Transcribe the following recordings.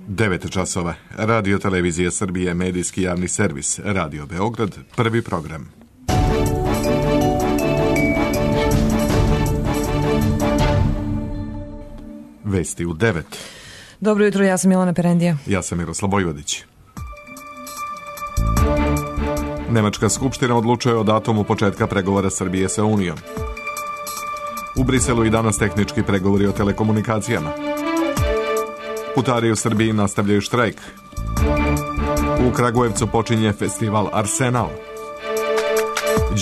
9 časova. Radio Televizija Srbije, medijski javni servis, Radio Beograd, prvi program. Vesti u 9. Dobro jutro, ja sam Milana Perendija. Ja sam Miroslav Vojvodić. Nemačka skupština odlučuje o datumu početka pregovora Srbije sa Unijom. U Briselu i danas tehnički pregovori o telekomunikacijama. Putari u Srbiji nastavljaju štrajk. U Kragujevcu počinje festival Arsenal.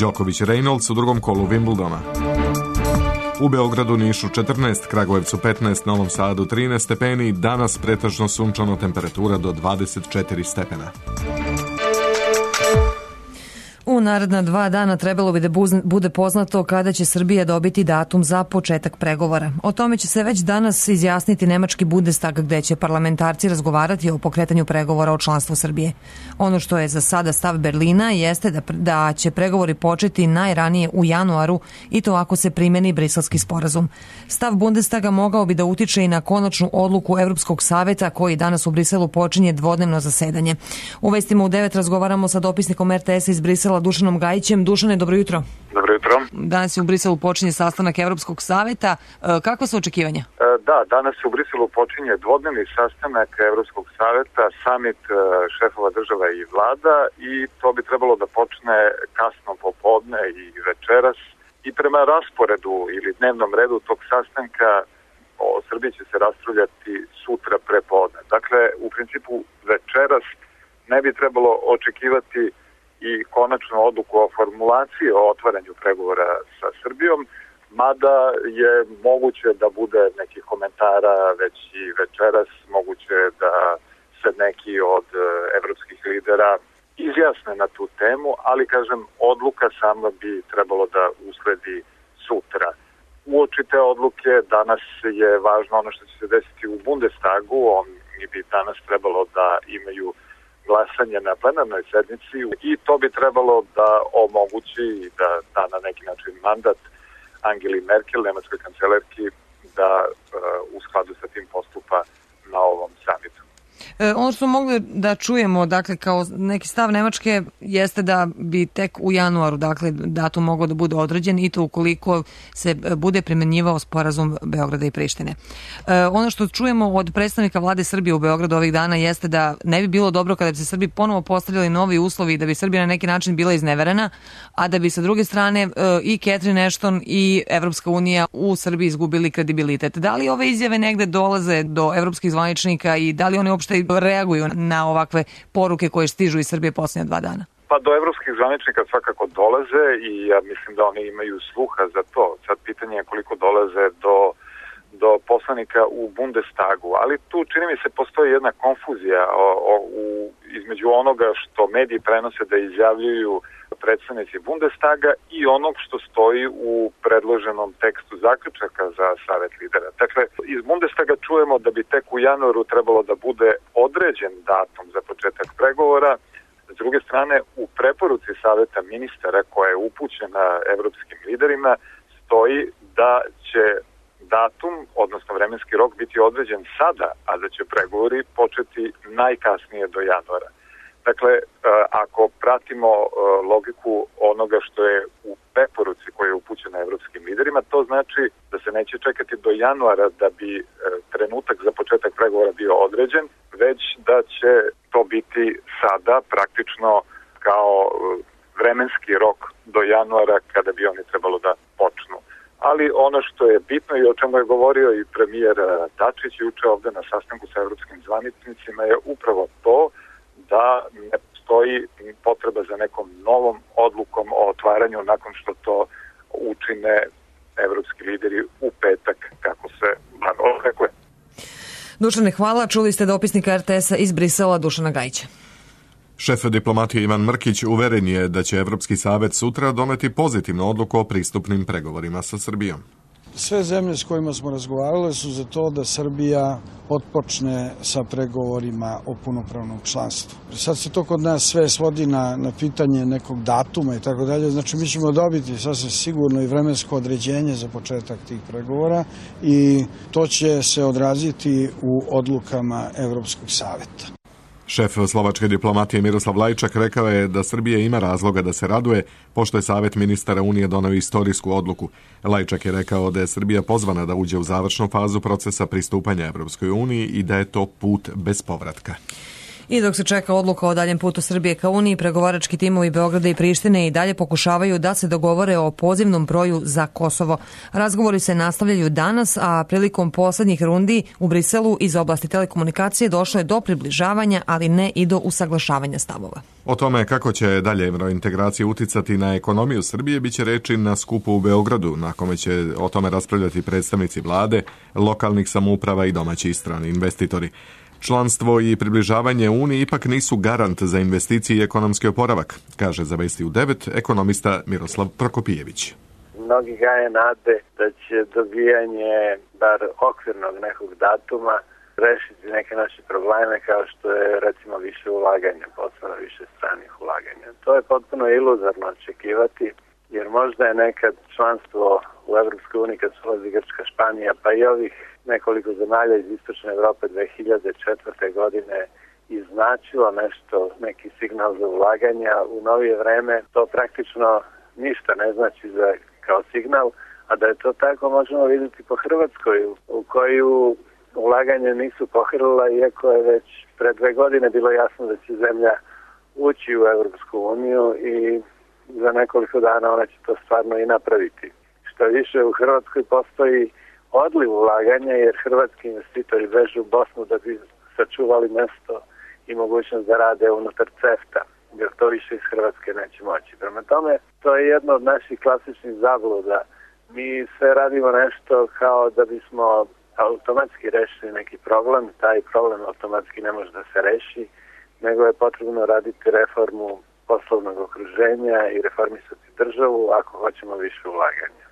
Đoković Reynolds u drugom kolu Wimbledona. U Beogradu, Nišu 14, Kragujevcu 15, Novom Sadu 13 stepeni, danas pretežno sunčano, temperatura do 24 stepena. U naredna 2 dana trebalo bi da bude poznato kada će Srbija dobiti datum za početak pregovora. O tome će se već danas izjasniti nemački Bundestag, gde će parlamentarci razgovarati o pokretanju pregovora o članstvu Srbije. Ono što je za sada stav Berlina jeste da će pregovori početi najranije u januaru, i to ako se primeni Briselski sporazum. Stav Bundestaga mogao bi da utiče i na konačnu odluku Evropskog saveta, koji danas u Briselu počinje dvodnevno zasedanje. U vestima u 9 razgovaramo sa dopisnikom RTS-a iz Brisela, Dušanom Gajićem. Dušane, dobro jutro. Dobro jutro. Danas je u Briselu počinje sastanak Evropskog saveta. Kakva su očekivanja? Da, danas u Briselu počinje dvodnevni sastanak Evropskog saveta, samit šefova država i vlada, i to bi trebalo da počne kasno popodne i večeras. I prema rasporedu ili dnevnom redu tog sastanka o Srbiji će se raspravljati sutra prepodne. Dakle, u principu večeras ne bi trebalo očekivati i konačnu odluku o formulaciji o otvaranju pregovora sa Srbijom, mada je moguće da bude nekih komentara već i večeras, moguće da se neki od evropskih lidera izjasne na tu temu, ali kažem, odluka sama bi trebalo da usledi sutra. Uoči te odluke danas je važno ono što će se desiti u Bundestagu. Oni bi danas trebalo da imaju glasanje na plenarnoj sednici i to bi trebalo da omogući i da da na neki način mandat Angeli Merkel, nemačkoj kancelarki, da u skladu sa tim postupa na ovom samitu. Ono što smo mogli da čujemo, dakle, kao neki stav Nemačke, jeste da bi tek u januaru, dakle, datum mogao da bude određen, i to ukoliko se bude primenjivao sporazum Beograda i Prištine. Ono što čujemo od predstavnika vlade Srbije u Beogradu ovih dana jeste da ne bi bilo dobro kada bi se Srbiji ponovo postavljali novi uslovi, da bi Srbija na neki način bila izneverena, a da bi sa druge strane i Catherine Ashton i Evropska unija u Srbiji izgubili kredibilitet. Da li ove izjave negde dolaze do evropskih zvaničnika i da li oni uopšte reaguju na ovakve poruke koje stižu iz Srbije posljednja 2 dana? Pa do evropskih zvaničnika svakako dolaze i ja mislim da oni imaju sluha za to. Sad pitanje je koliko dolaze do poslanika u Bundestagu, ali tu čini mi se postoji jedna konfuzija između onoga što mediji prenose da izjavljuju predstavnici Bundestaga i onog što stoji u predloženom tekstu zaključaka za Savet lidera. Dakle, iz Bundestaga čujemo da bi tek u januaru trebalo da bude određen datum za početak pregovora. S druge strane, u preporuci Saveta ministara koja je upućena evropskim liderima stoji da će datum, odnosno vremenski rok, biti određen sada, a da će pregovori početi najkasnije do januara. Dakle, ako pratimo logiku onoga što je u preporuci koja je upućena evropskim liderima, to znači da se neće čekati do januara da bi trenutak za početak pregovora bio određen, već da će to biti sada praktično kao vremenski rok do januara kada bi oni trebalo da počnu. Ali ono što je bitno i o čemu je govorio i premijer Dačić juče ovde na sastanku sa evropskim zvaničnicima je upravo to da ne postoji potreba za nekom novom odlukom o otvaranju nakon što to učine evropski lideri u petak, kako se bar očekuje. Dušane, hvala. Čuli ste dopisnika RTS-a iz Brisela, Dušana Gajića. Šef diplomatije Ivan Mrkić uveren je da će Evropski savet sutra doneti pozitivnu odluku o pristupnim pregovorima sa Srbijom. Sve zemlje s kojima smo razgovarali su za to da Srbija otpočne sa pregovorima o punopravnom članstvu. Sad se to kod nas sve svodi na pitanje nekog datuma i tako dalje, znači mi ćemo dobiti sasvim sigurno i vremensko određenje za početak tih pregovora i to će se odraziti u odlukama Evropskog saveta. Šef slovačke diplomatije Miroslav Lajčak rekao je da Srbija ima razloga da se raduje, pošto je Savet ministara Unije doneo istorijsku odluku. Lajčak je rekao da je Srbija pozvana da uđe u završnu fazu procesa pristupanja Evropskoj uniji i da je to put bez povratka. I dok se čeka odluka o daljem putu Srbije ka Uniji, pregovarački timovi Beograda i Prištine i dalje pokušavaju da se dogovore o pozivnom broju za Kosovo. Razgovori se nastavljaju danas, a prilikom poslednjih rundi u Briselu iz oblasti telekomunikacije došlo je do približavanja, ali ne i do usaglašavanja stavova. O tome kako će dalje evrointegracija uticati na ekonomiju Srbije biće reči na skupu u Beogradu, na kome će o tome raspravljati predstavnici vlade, lokalnih samouprava i domaći i strani investitori. Članstvo i približavanje Uniji ipak nisu garant za investicije i ekonomski oporavak, kaže za Vesti u 9 ekonomista Miroslav Prokopijević. Mnogi gaje nade da će dobijanje bar okvirnog nekog datuma rešiti neke naše probleme kao što je recimo više ulaganja, posebno više stranih ulaganja. To je potpuno iluzorno očekivati, jer možda je nekad članstvo u Evropskoj uniji kad se ulazi Grčka, Španija, pa i ovih nekoliko zemalja iz Istočne Evrope 2004. godine iznačilo nešto, neki signal za ulaganja. U novije vreme to praktično ništa ne znači kao signal, a da je to tako možemo vidjeti po Hrvatskoj, u koju ulaganje nisu pohrlila, iako je već pre 2 godine bilo jasno da će zemlja ući u Evropsku uniju i za nekoliko dana ona će to stvarno i napraviti. Što više, u Hrvatskoj postoji odliv ulaganja, jer hrvatski investitori beže u Bosnu da bi sačuvali mesto i mogućnost da rade unutar CEFTA, jer to više iz Hrvatske neće moći. Prema tome, to je jedno od naših klasičnih zabluda. Mi sve radimo nešto kao da bismo automatski rešili neki problem, taj problem automatski ne može da se reši, nego je potrebno raditi reformu poslovnog okruženja i reformisati državu ako hoćemo više ulaganja.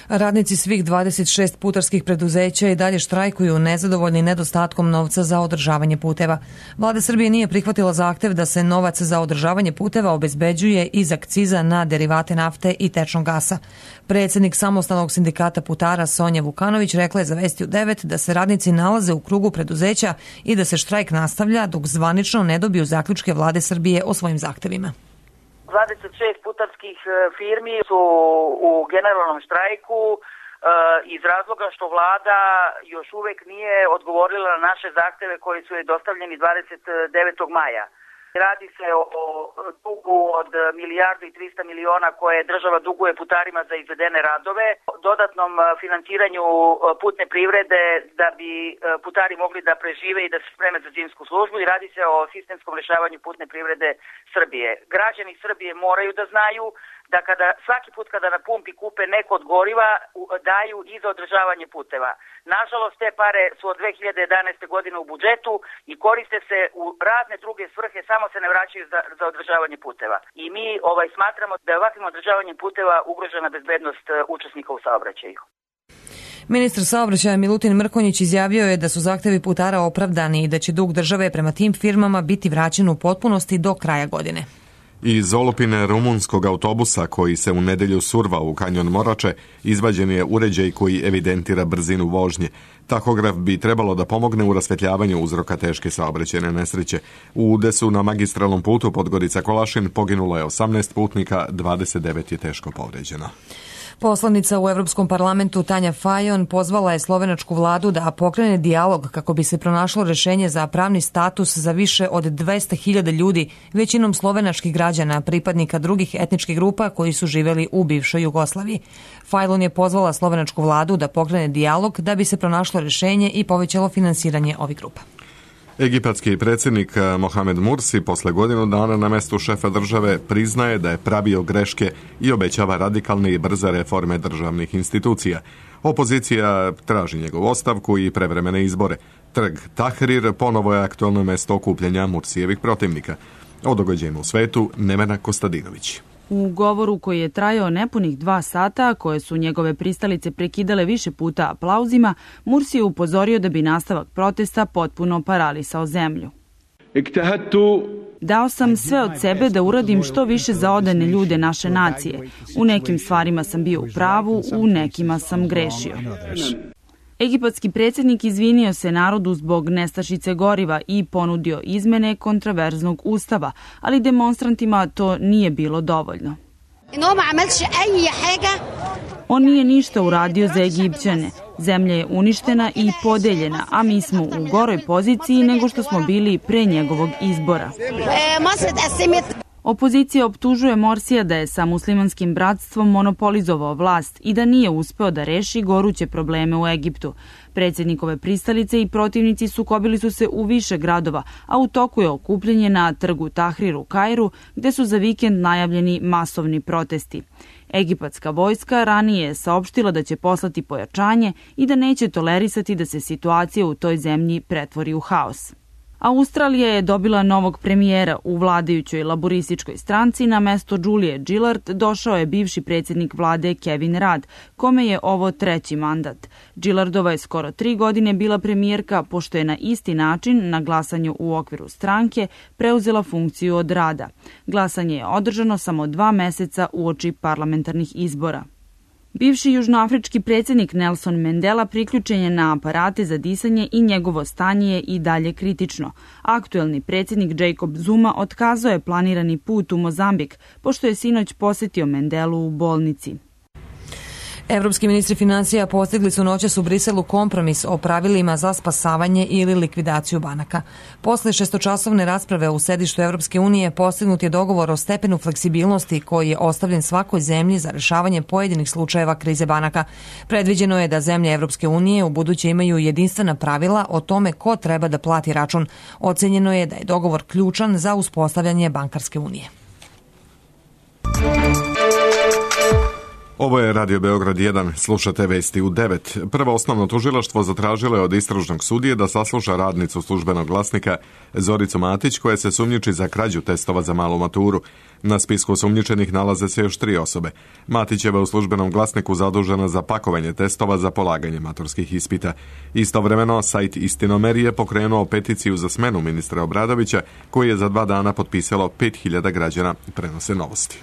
Radnici svih 26 putarskih preduzeća i dalje štrajkuju nezadovoljni nedostatkom novca za održavanje puteva. Vlada Srbije nije prihvatila zahtev da se novac za održavanje puteva obezbeđuje iz akciza na derivate nafte i tečnog gasa. Predsjednik Samostalnog sindikata putara Sonja Vukanović rekla je za Vesti u 9 da se radnici nalaze u krugu preduzeća i da se štrajk nastavlja dok zvanično ne dobiju zaključke Vlade Srbije o svojim zahtevima. 26 putarskih firmi su u generalnom štrajku iz razloga što vlada još uvek nije odgovorila na naše zahteve koji su je dostavljeni 29. maja. Radi se o dugu od 1.300.000.000 koje država duguje putarima za izvedene radove, dodatnom finansiranju putne privrede da bi putari mogli da prežive i da se spreme za zimsku službu i radi se o sistemskom rešavanju putne privrede Srbije. Građani Srbije moraju da znaju da svaki put kada na pumpi kupe neko od goriva daju i za održavanje puteva. Nažalost, te pare su od 2011. godine u budžetu i koriste se u razne druge svrhe, samo se ne vraćaju za održavanje puteva. I mi smatramo da je ovakvim održavanjem puteva ugrožena bezbednost učesnika u saobraćaju. Ministar saobraćaja Milutin Mrkonjić izjavio je da su zahtevi putara opravdani i da će dug države prema tim firmama biti vraćen u potpunosti do kraja godine. Iz olupine rumunskog autobusa koji se u nedelju survao u kanjon Morače izvađen je uređaj koji evidentira brzinu vožnje. Tahograf bi trebalo da pomogne u rasvetljavanju uzroka teške saobraćajne nesreće. U udesu na magistralnom putu Podgorica-Kolašin poginulo je 18 putnika, 29 je teško povređeno. Poslanica u Evropskom parlamentu Tanja Fajon pozvala je slovenačku vladu da pokrene dijalog kako bi se pronašlo rešenje za pravni status za više od 200.000 ljudi, većinom slovenačkih građana, pripadnika drugih etničkih grupa koji su živeli u bivšoj Jugoslaviji. Fajon je pozvala slovenačku vladu da pokrene dijalog da bi se pronašlo rešenje i povećalo finansiranje ovih grupa. Egipatski predsjednik Mohamed Mursi posle godinu dana na mestu šefa države priznaje da je pravio greške i obećava radikalne i brze reforme državnih institucija. Opozicija traži njegovu ostavku i prevremene izbore. Trg Tahrir ponovo je aktualno mesto okupljanja Mursijevih protivnika. O događajima u svetu Nevena Kostadinović. U govoru koji je trajao nepunih 2 sata, koje su njegove pristalice prekidale više puta aplauzima, Mursi je upozorio da bi nastavak protesta potpuno paralisao zemlju. Dao sam sve od sebe da uradim što više za odane ljude naše nacije. U nekim stvarima sam bio u pravu, u nekima sam grešio. Egipatski predsjednik izvinio se narodu zbog nestašice goriva i ponudio izmene kontraverznog ustava, ali demonstrantima to nije bilo dovoljno. On nije ništa uradio za Egipćane. Zemlja je uništena i podeljena, a mi smo u goroj poziciji nego što smo bili pre njegovog izbora. Opozicija optužuje Morsija da je sa muslimanskim bratstvom monopolizovao vlast i da nije uspeo da reši goruće probleme u Egiptu. Predsjednikove pristalice i protivnici sukobili su se u više gradova, a u toku je okupljanje na trgu Tahrir u Kairu, gde su za vikend najavljeni masovni protesti. Egipatska vojska ranije je saopštila da će poslati pojačanje i da neće tolerisati da se situacija u toj zemlji pretvori u haos. Australija je dobila novog premijera. U vladajućoj laborističkoj stranci na mesto Julie Gillard došao je bivši predsjednik vlade Kevin Rudd, kome je ovo 3. mandat. Gillardova je skoro 3 godine bila premijerka, pošto je na isti način na glasanju u okviru stranke preuzela funkciju od Rudda. Glasanje je održano samo 2 meseca uoči parlamentarnih izbora. Bivši južnoafrički predsjednik Nelson Mandela priključen je na aparate za disanje i njegovo stanje je i dalje kritično. Aktuelni predsjednik Jacob Zuma otkazao je planirani put u Mozambik, pošto je sinoć posjetio Mandelu u bolnici. Evropski ministri finansija postigli su noćas u Briselu kompromis o pravilima za spasavanje ili likvidaciju banaka. Posle 6-časovne rasprave u sedištu Evropske unije postignut je dogovor o stepenu fleksibilnosti koji je ostavljen svakoj zemlji za rešavanje pojedinih slučajeva krize banaka. Predviđeno je da zemlje Evropske unije u buduće imaju jedinstvena pravila o tome ko treba da plati račun. Ocenjeno je da je dogovor ključan za uspostavljanje bankarske unije. Ovo je Radio Beograd 1, slušate vesti u 9. Prvo osnovno tužilaštvo zatražilo je od istražnog sudije da sasluša radnicu Službenog glasnika Zoricu Matić, koja se sumnjiči za krađu testova za malu maturu. Na spisku osumnjičenih nalaze se još 3 osobe. Matićeva je u Službenom glasniku zadužena za pakovanje testova za polaganje maturskih ispita. Istovremeno, sajt Istinomer je pokrenuo peticiju za smenu ministra Obradovića, koji je za 2 dana potpisalo 5000 građana, prenose Novosti.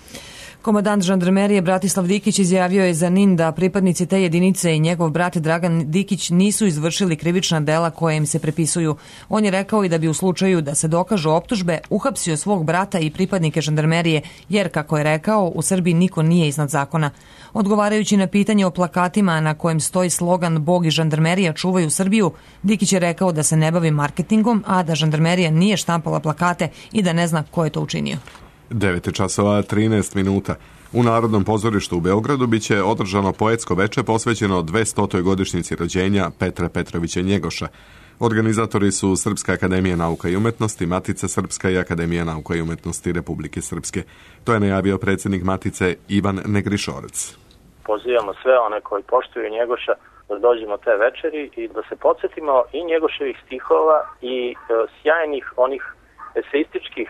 Komandant žandarmerije Bratislav Dikić izjavio je za NIN da pripadnici te jedinice i njegov brat Dragan Dikić nisu izvršili krivična dela koje im se prepisuju. On je rekao i da bi u slučaju da se dokažu optužbe uhapsio svog brata i pripadnike žandarmerije, jer, kako je rekao, u Srbiji niko nije iznad zakona. Odgovarajući na pitanje o plakatima na kojem stoji slogan Bog i žandarmerija čuvaju Srbiju, Dikić je rekao da se ne bavi marketingom, a da žandarmerija nije štampala plakate i da ne zna ko je to učinio. 9:13. U Narodnom pozorištu u Beogradu biće održano poetsko veče posvećeno 200. godišnjici rođenja Petra Petrovića Njegoša. Organizatori su Srpska akademija nauka i umetnosti, Matica Srpska i Akademija nauka i umetnosti Republike Srpske. To je najavio predsjednik Matice Ivan Negrišorac. Pozivamo sve one koji poštuju Njegoša da dođemo te večeri i da se podsjetimo i Njegoševih stihova i sjajnih onih eseističkih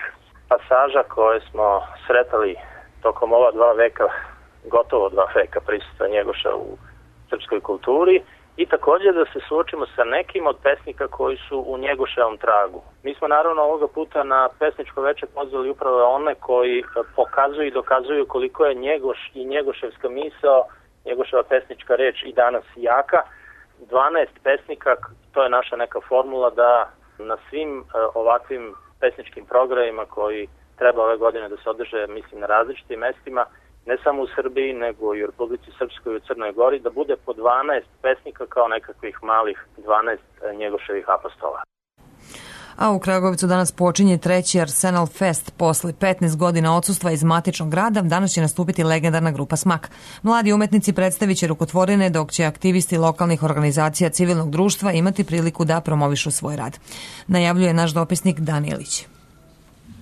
pasaža koje smo sretali tokom ova 2 veka, gotovo 2 veka prisustva Njegoša u srpskoj kulturi i također da se suočimo sa nekim od pesnika koji su u Njegoševom tragu. Mi smo naravno ovoga puta na pesničko veče pozvali upravo one koji pokazuju i dokazuju koliko je Njegoš i Njegoševska misao, Njegoševa pesnička reč i danas jaka. 12 pesnika, to je naša neka formula da na svim ovakvim pesničkim programima koji treba ove godine da se održe, mislim, na različitim mestima, ne samo u Srbiji, nego i u Republici Srpskoj i u Crnoj Gori, da bude po 12 pesnika kao nekakvih malih 12 Njegoševih apostola. A u Kragujevcu danas počinje 3. Arsenal Fest. Posle 15 godina odsustva iz matičnog grada, danas će nastupiti legendarna grupa Smak. Mladi umetnici predstavit će rukotvorine, dok će aktivisti lokalnih organizacija civilnog društva imati priliku da promovišu svoj rad. Najavljuje naš dopisnik Danijelić.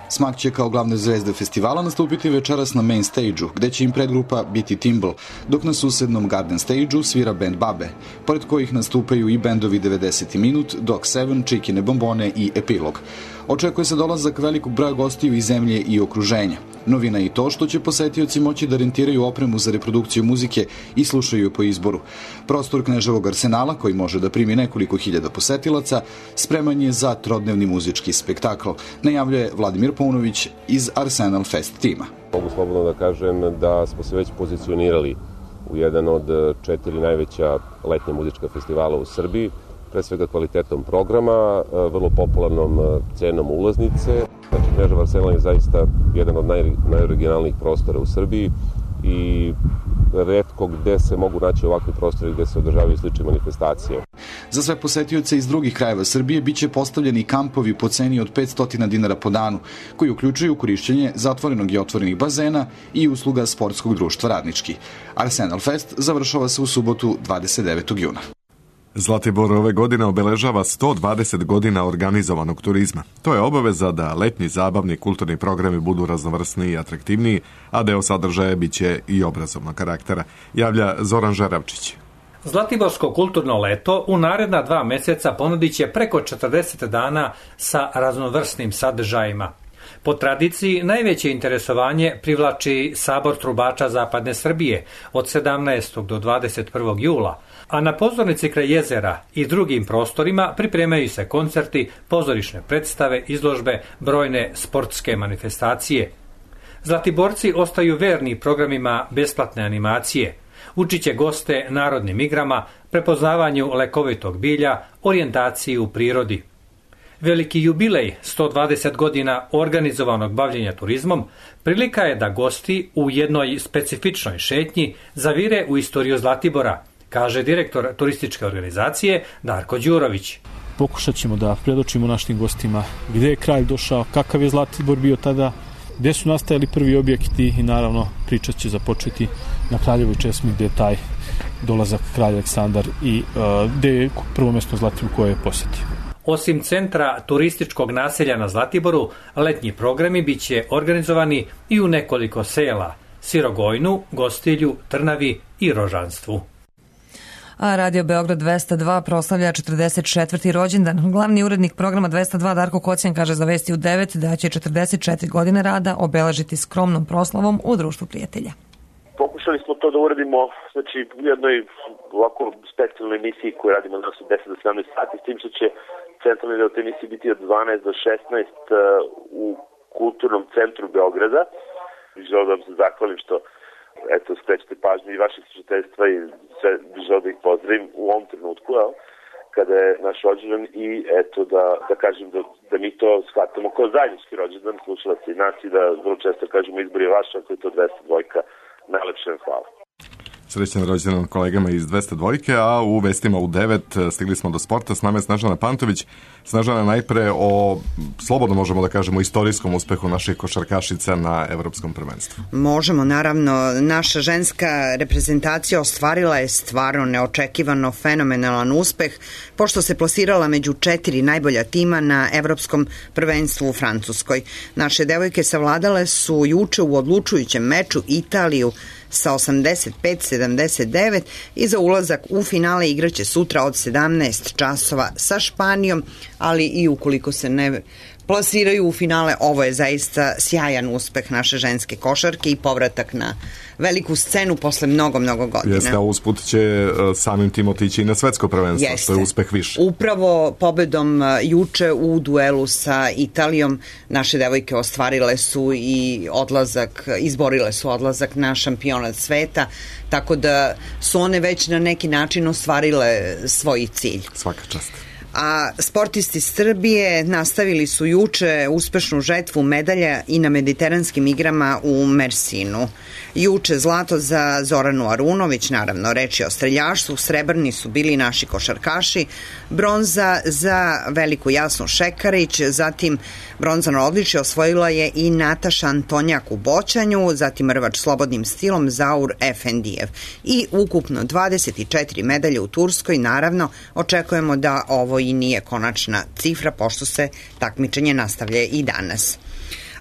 Smak će kao glavne zvezde festivala nastupiti večeras na main stage-u, gde će im predgrupa biti Timble, dok na susednom garden stage-u svira band Babe, pored kojih nastupaju i bendovi 90. minut, Dog 7, Čikine bombone i Epilog. Očekuje se dolazak velikog broja gostiju iz zemlje i okruženja. Novina je i to što će posetioci moći da rentiraju opremu za reprodukciju muzike i slušaju je po izboru. Prostor Kneževog arsenala, koji može da primi nekoliko hiljada posetilaca, spreman je za trodnevni muzički spektakl, najavljuje Vladimir Paunović iz Arsenal Fest tima. Mogu slobodno da kažem da smo se već pozicionirali u jedan od 4 najveća letnja muzička festivala u Srbiji, pre svega kvalitetom programa, vrlo popularnom cenom ulaznice. Znači, Knežev arsenal je zaista jedan od najoriginalnijih prostora u Srbiji i retko gde se mogu naći ovakvi prostori gde se održavaju slične manifestacije. Za sve posetioce iz drugih krajeva Srbije biće postavljeni kampovi po ceni od 500 dinara po danu, koji uključuju korišćenje zatvorenog i otvorenih bazena i usluga sportskog društva Radnički. Arsenal Fest završava se u subotu 29. juna. Zlatibor ove godine obeležava 120 godina organizovanog turizma. To je obaveza da letnji zabavni kulturni programi budu raznovrsniji i atraktivniji, a deo sadržaja biće i obrazovnog karaktera, javlja Zoran Žeravčić. Zlatiborsko kulturno leto u naredna 2 meseca ponudit će preko 40 dana sa raznovrsnim sadržajima. Po tradiciji, najveće interesovanje privlači Sabor trubača Zapadne Srbije od 17. do 21. jula, a na pozornici kraj jezera i drugim prostorima pripremaju se koncerti, pozorišne predstave, izložbe, brojne sportske manifestacije. Zlatiborci ostaju verni programima besplatne animacije. Učiće goste narodnim igrama, prepoznavanju lekovitog bilja, orijentaciji u prirodi. Veliki jubilej 120 godina organizovanog bavljenja turizmom prilika je da gosti u jednoj specifičnoj šetnji zavire u istoriju Zlatibora, kaže direktor turističke organizacije Darko Đurović. Pokušat ćemo da predočimo našim gostima gde je kralj došao, kakav je Zlatibor bio tada, gde su nastajali prvi objekti i naravno priča će započeti na Kraljevoj česmi gde je taj dolazak kralja Aleksandar i gde je prvo mesto Zlatibor koje je posjetio. Osim centra turističkog naselja na Zlatiboru, letnji programi biće organizovani i u nekoliko sela: Sirogojnu, Gostilju, Trnavi i Rožanstvu. A Radio Beograd 202 proslavlja 44. rođendan. Glavni urednik programa 202 Darko Kocijan kaže za Vesti u 9 da će 44 godine rada obeležiti skromnom proslavom u društvu prijatelja. Pokušali smo to da uradimo, znači, u jednoj ovako specijalnoj emisiji koju radimo danas od 10 do 17 sati, s tim što će centralni deo te emisije biti od 12 do 16 u Kulturnom centru Beograda. Želim da vam se zahvalim što skrećete pažnju i vaših slušateljstva i sve želim da ih pozdravim u ovom trenutku, kada je naš rođendan i da kažem da mi to shvatamo kao zajednički rođendan slušalaca i nas i da vrlo često kažemo izbor je vaš, ako je to 202, najlepše vam hvala. Srećan rođendan kolegama iz 202, a u vestima u 9 stigli smo do sporta. S nama je Snežana Pantović. Snežana, najpre o, slobodno možemo da kažemo, istorijskom uspehu naših košarkašica na evropskom prvenstvu. Možemo, naravno. Naša ženska reprezentacija ostvarila je stvarno neočekivano fenomenalan uspeh, pošto se plasirala među 4 najbolja tima na evropskom prvenstvu u Francuskoj. Naše devojke savladale su juče u odlučujućem meču Italiju sa 85-79 i za ulazak u finale igraće sutra od 17 časova sa Španijom, ali i ukoliko se ne plasiraju u finale, ovo je zaista sjajan uspeh naše ženske košarke i povratak na veliku scenu posle mnogo godina. Jeste, a usput će samim tim otići i na svetsko prvenstvo, što je uspeh više. Upravo pobedom juče u duelu sa Italijom naše devojke ostvarile su i izborile su odlazak na šampionat sveta, tako da su one već na neki način ostvarile svoj cilj. Svaka čast. A sportisti Srbije nastavili su juče uspešnu žetvu medalja i na mediteranskim igrama u Mersinu. Juče zlato za Zoranu Arunović, naravno reč je o streljaštvu, srebrni su bili naši košarkaši, bronza za Veliku Jasnu Šekarić, zatim bronzano odličje osvojila je i Nataša Antonjak u boćanju, zatim rvač slobodnim stilom Zaur Efendijev. I ukupno 24 medalje u Turskoj, naravno očekujemo da ovo i nije konačna cifra, pošto se takmičenje nastavlja i danas.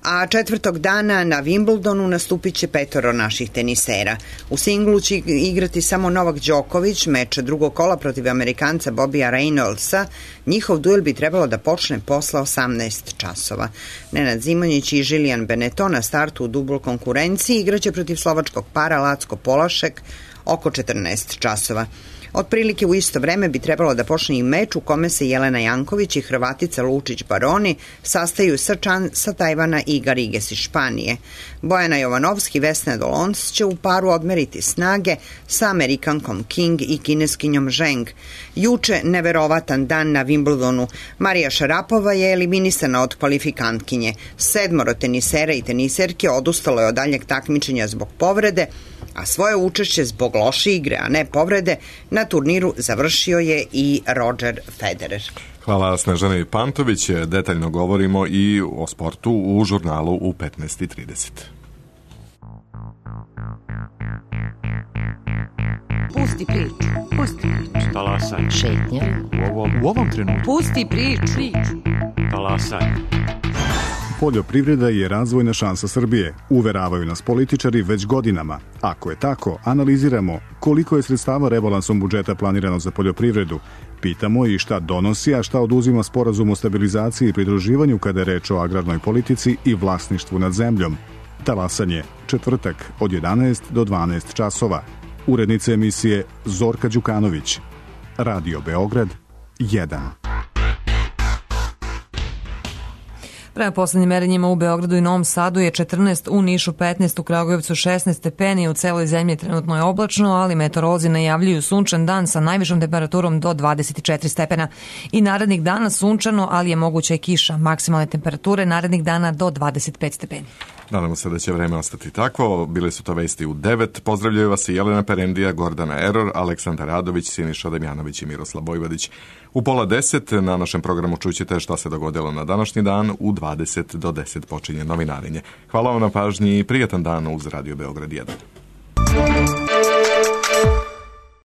A četvrtog dana na Wimbledonu nastupit će 5 naših tenisera. U singlu će igrati samo Novak Đoković, meč drugog kola protiv Amerikanca Bobija Reynoldsa. Njihov duel bi trebalo da počne posle 18 časova. Nenad Zimonjić i Žilijan Benetton na startu u dubl konkurenciji igraće protiv slovačkog para Lacko Polašek oko 14 časova. Otprilike u isto vreme bi trebalo da počne i meč u kome se Jelena Janković i Hrvatica Lučić Baroni sastaju sa Tajvana i Gariges iz Španije. Bojana Jovanovski i Vesna Dolonc će u paru odmeriti snage sa Amerikankom King i Kineskinjom Zheng. Juče neverovatan dan na Wimbledonu. Marija Šarapova je eliminisana od kvalifikantkinje. 7 tenisera i teniserke odustalo je od daljeg takmičenja zbog povrede, a svoje učešće zbog loše igre, a ne povrede, na turniru završio je i Roger Federer. Hvala Snežani Pantović. Detaljno govorimo i o sportu u žurnalu u 15:30. Pusti priču. Pusti priču. Talasaj. Šetnja. U ovom trenutku. Pusti priču. Talasaj. Poljoprivreda je razvojna šansa Srbije, uveravaju nas političari već godinama. Ako je tako, analiziramo koliko je sredstava rebalansom budžeta planirano za poljoprivredu. Pitamo i šta donosi, a šta oduzima sporazum o stabilizaciji i pridruživanju kada je reč o agrarnoj politici i vlasništvu nad zemljom. Talasanje, četvrtak od 11 do 12 časova. Urednica emisije Zorka Đukanović. Radio Beograd 1. Prema poslednjim merenjima u Beogradu i Novom Sadu je 14, u Nišu 15, u Kragujevcu 16 stepeni, u celoj zemlji trenutno je oblačno, ali meteorolozi najavljuju sunčan dan sa najvišom temperaturom do 24 stepena. I narednih dana sunčano, ali je moguća i kiša. Maksimalne temperature narednih dana do 25 stepeni. Nadamo se da će vreme ostati takvo. Bili su to vesti u 9. Pozdravljaju vas i Jelena Perendija, Gordana Eror, Aleksandar Radović, Siniša Damjanović i Miroslav Bojvodić. U 9:30 na našem programu čućete šta se dogodilo na današnji dan. U 20 do 10 počinje novinarenje. Hvala vam na pažnji i prijatan dan uz Radio Beograd 1.